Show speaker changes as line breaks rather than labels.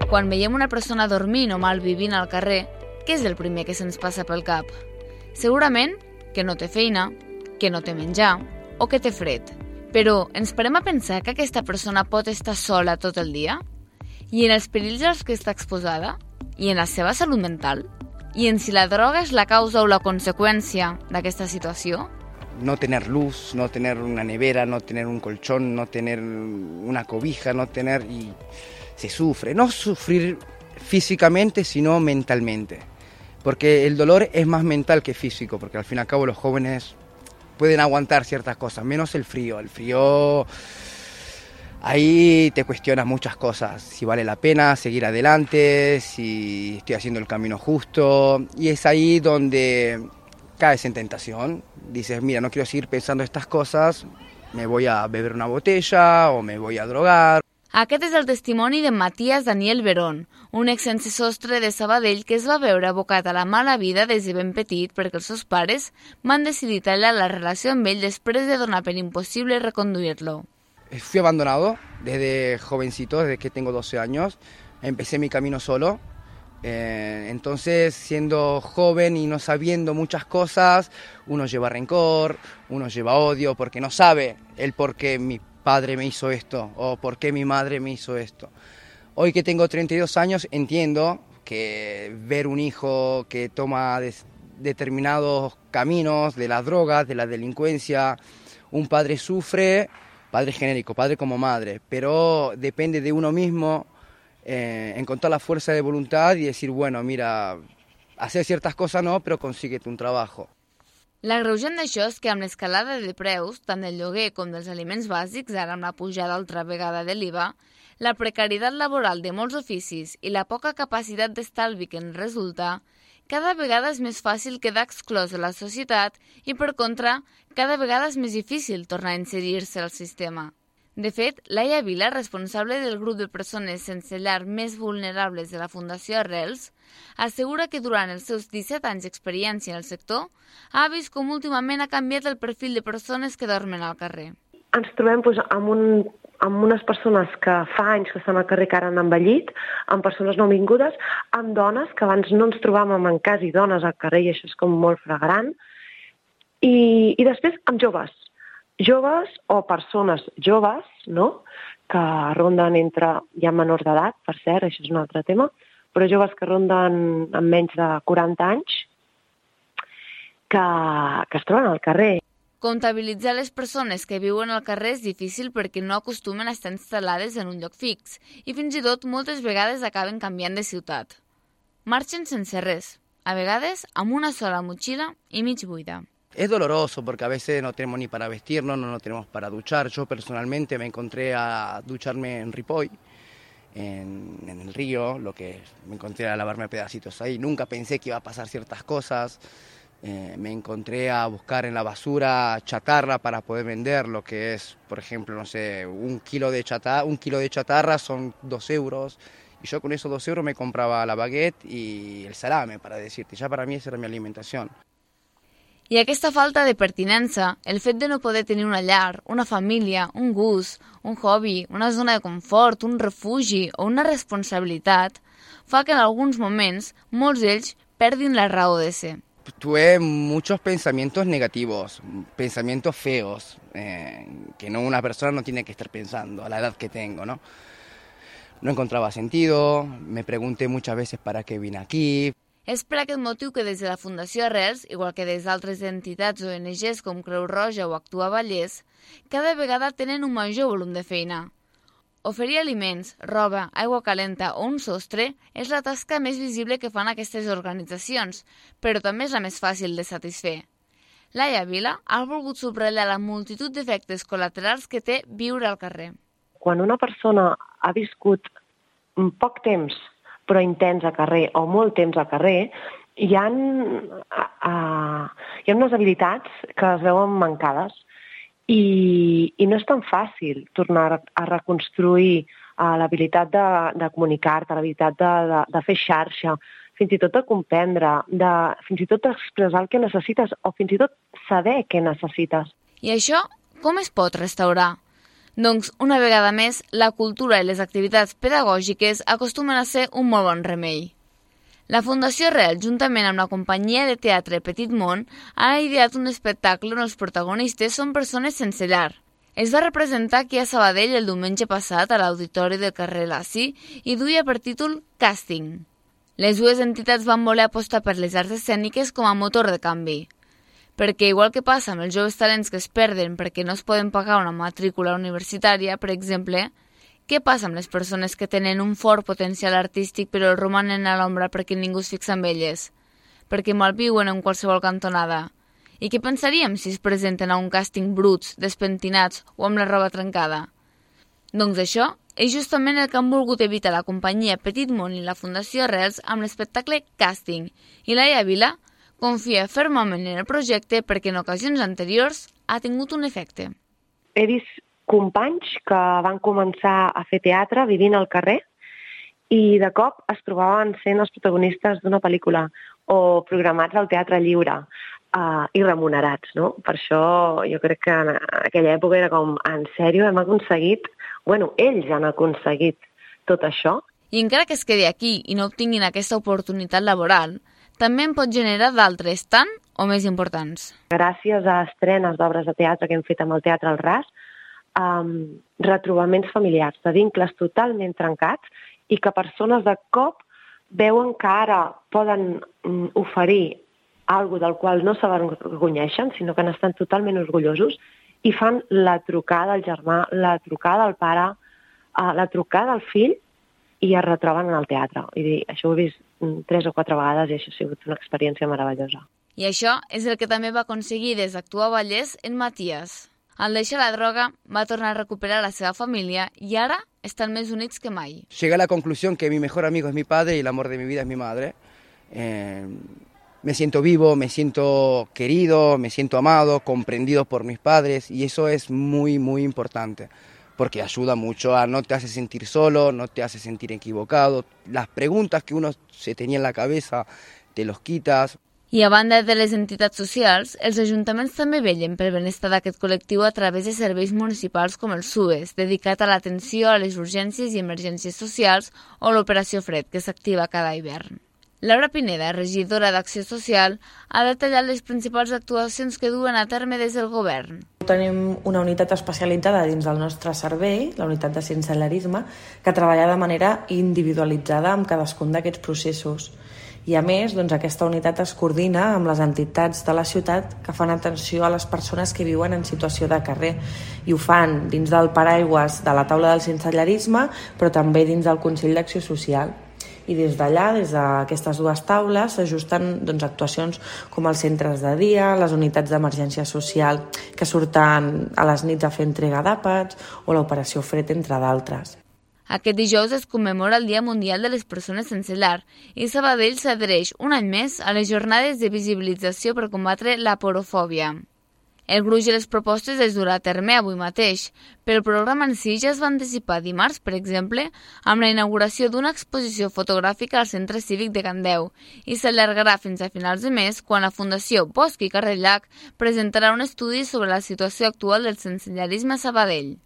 quan veiem una persona dormint o malvivint al carrer, què és el primer que se'ns passa pel cap? Segurament que no té feina, que no té menjar o que té fred. Però ens parem a pensar que aquesta persona pot estar sola tot el dia? I en els perills als que està exposada? I en la seva salut mental? I en si la droga és la causa o la conseqüència d'aquesta situació?
No tener luz, no tener una nevera, no tener un colchón, no tener una cobija, no tener... y se sufre. No sufrir físicamente, sino mentalmente. Porque el dolor es más mental que físico, porque al fin y al cabo los jóvenes pueden aguantar ciertas cosas, menos el frío. El frío, ahí te cuestionas muchas cosas, si vale la pena seguir adelante, si estoy haciendo el camino justo, y es ahí donde caes en tentación. Dices, mira, no quiero seguir pensando estas cosas, me voy a beber una botella o me voy a drogar.
Aquest és el testimoni de Matías Daniel Verón, un ex sense sostre de Sabadell que es va veure abocat a la mala vida des de ben petit perquè els seus pares van decidir tallar la relació amb ell després de donar per impossible reconduir-lo.
Fui abandonado desde jovencito, desde que tengo 12 años, empecé mi camino solo. Entonces, siendo joven y no sabiendo muchas cosas, uno lleva rencor, uno lleva odio, porque no sabe el por qué mi padre me hizo esto o por qué mi madre me hizo esto. Hoy que tengo 32 años entiendo que ver un hijo que toma determinados caminos de las drogas, de la delincuencia, un padre sufre, padre genérico, padre como madre, pero depende de uno mismo encontrar la fuerza de voluntad y decir, bueno, mira, hacer ciertas cosas no, pero consíguete un trabajo.
L'agreujant d'això és que amb l'escalada de preus, tant del lloguer com dels aliments bàsics, ara amb la pujada altra vegada de l'IVA, la precarietat laboral de molts oficis i la poca capacitat d'estalvi que en resulta, cada vegada és més fàcil quedar exclòs de la societat i, per contra, cada vegada és més difícil tornar a inserir-se al sistema. De fet, Laia Vila, responsable del grup de persones sense llar més vulnerables de la Fundació Arrels, assegura que durant els seus 17 anys d'experiència en el sector ha vist com últimament ha canviat el perfil de persones que dormen al carrer.
Ens trobem amb unes persones que fa anys que estan al carrer, que ara han envellit, amb persones nouvingudes, amb dones que abans no ens trobàvem en quasi dones al carrer, i això és com molt flagrant, i després amb joves o persones joves, no?, que ronden entre, ja menors d'edat, per cert, això és un altre tema, però joves que ronden amb menys de 40 anys, que es troben al carrer.
Comptabilitzar les persones que viuen al carrer és difícil perquè no acostumen a estar instal·lades en un lloc fix i fins i tot moltes vegades acaben canviant de ciutat. Marxen sense res, a vegades amb una sola motxilla i mig buida.
Es doloroso porque a veces no tenemos ni para vestirnos, no tenemos para duchar. Yo personalmente me encontré a ducharme en Ripoll, en el río, me encontré a lavarme pedacitos ahí. Nunca pensé que iba a pasar ciertas cosas. Me encontré a buscar en la basura chatarra para poder vender, lo que es, por ejemplo, no sé, un kilo de chatarra son 2 euros. Y yo con esos 2 euros me compraba la baguette y el salame, para decirte. Ya para mí esa era mi alimentación.
I aquesta falta de pertinença, el fet de no poder tenir una llar, una família, un gust, un hobby, una zona de confort, un refugi o una responsabilitat, fa que en alguns moments molts d'ells perdin la raó de ser.
Tuve muchos pensamientos negativos, pensamientos feos, que una persona no tiene que estar pensando a la edad que tengo, ¿no? No encontraba sentido, me pregunté muchas veces para qué vine aquí.
És per aquest motiu que des de la Fundació Arrels, igual que des d'altres entitats o ONGs com Creu Roja o Actua Vallès, cada vegada tenen un major volum de feina. Oferir aliments, roba, aigua calenta o un sostre és la tasca més visible que fan aquestes organitzacions, però també és la més fàcil de satisfer. Laia Vila ha volgut subratllar la multitud d'efectes col·laterals que té viure al carrer.
Quan una persona ha viscut poc temps però intens al carrer, o molt temps al carrer, hi ha unes habilitats que es veuen mancades i no és tan fàcil tornar a reconstruir l'habilitat de comunicar-te, l'habilitat de fer xarxa, fins i tot de comprendre, fins i tot d'expressar el que necessites o fins i tot saber què necessites.
I això com es pot restaurar? Doncs, una vegada més, la cultura i les activitats pedagògiques acostumen a ser un molt bon remei. La Fundació Rel, juntament amb la companyia de teatre Petit Món, ha ideat un espectacle on els protagonistes són persones sense llar. Es va representar aquí a Sabadell el diumenge passat a l'auditori del carrer Laci i duia per títol Càsting. Les dues entitats van voler apostar per les arts escèniques com a motor de canvi. Perquè, igual que passa amb els joves talents que es perden perquè no es poden pagar una matrícula universitària, per exemple, què passa amb les persones que tenen un fort potencial artístic però romanen a l'ombra perquè ningú es fixa en elles? Perquè malviuen en qualsevol cantonada? I què pensaríem si es presenten a un càsting bruts, despentinats o amb la roba trencada? Doncs això és justament el que han volgut evitar la companyia Petit Món i la Fundació Arrels amb l'espectacle Càsting, i Laia Vila confia fermament en el projecte perquè en ocasions anteriors ha tingut un efecte.
He vist companys que van començar a fer teatre vivint al carrer i de cop es trobaven sent els protagonistes d'una pel·lícula o programats al teatre lliure i remunerats, no? Per això jo crec que en aquella època era com, en sèrio, hem aconseguit... Bueno, ells han aconseguit tot això.
I encara que es quedi aquí i no obtinguin aquesta oportunitat laboral, també en pot generar d'altres tan o més importants.
Gràcies a estrenes d'obres de teatre que hem fet amb el Teatre al Ras, retrobaments familiars, de vincles totalment trencats i que persones de cop veuen que ara poden oferir alguna del qual no s'avergonyeixen, sinó que n'estan totalment orgullosos i fan la trucada al germà, la trucada al pare, la trucada al fill i es retroben en el teatre. I això ho he vist 3 o 4 vegades i això ha sigut una experiència meravellosa.
I això és el que també va aconseguir des d'Actua Vallès en Matías. Al deixar la droga, va tornar a recuperar la seva família i ara estan més units que mai.
Llegué a la conclusión que mi mejor amigo es mi padre y el amor de mi vida es mi madre. Me siento vivo, me siento querido, me siento amado, comprendido por mis padres y eso es muy, muy importante porque ayuda mucho no te hace sentir solo, no te hace sentir equivocado. Las preguntas que uno se tenía en la cabeza te los quitas.
I a banda de les entitats socials, els ajuntaments també vetllen pel benestar d'aquest col·lectiu a través de serveis municipals com el SUES, dedicat a l'atenció a les urgències i emergències socials, o l'Operació Fred, que s'activa cada hivern. Laura Pineda, regidora d'Acció Social, ha detallat les principals actuacions que duen a terme des del govern.
Tenim una unitat especialitzada dins del nostre servei, la unitat de sensellarisme, que treballa de manera individualitzada amb cadascun d'aquests processos. I a més, aquesta unitat es coordina amb les entitats de la ciutat que fan atenció a les persones que viuen en situació de carrer i ho fan dins del paraigües de la taula del sensellarisme, però també dins del Consell d'Acció Social. I des d'allà, des d'aquestes dues taules, s'ajusten actuacions com els centres de dia, les unitats d'emergència social que surten a les nits a fer entrega d'àpats o l'Operació Fred, entre d'altres.
Aquest dijous es commemora el Dia Mundial de les Persones Sense Llar i Sabadell s'adhereix un any més a les jornades de visibilització per combatre la porofòbia. El gruix de les propostes es durà a terme avui mateix, però el programa en si ja es va anticipar dimarts, per exemple, amb la inauguració d'una exposició fotogràfica al Centre Cívic de Candeu i s'allargarà fins a finals de mes quan la Fundació Bosch i Carrer Llac presentarà un estudi sobre la situació actual del sensellarisme a Sabadell.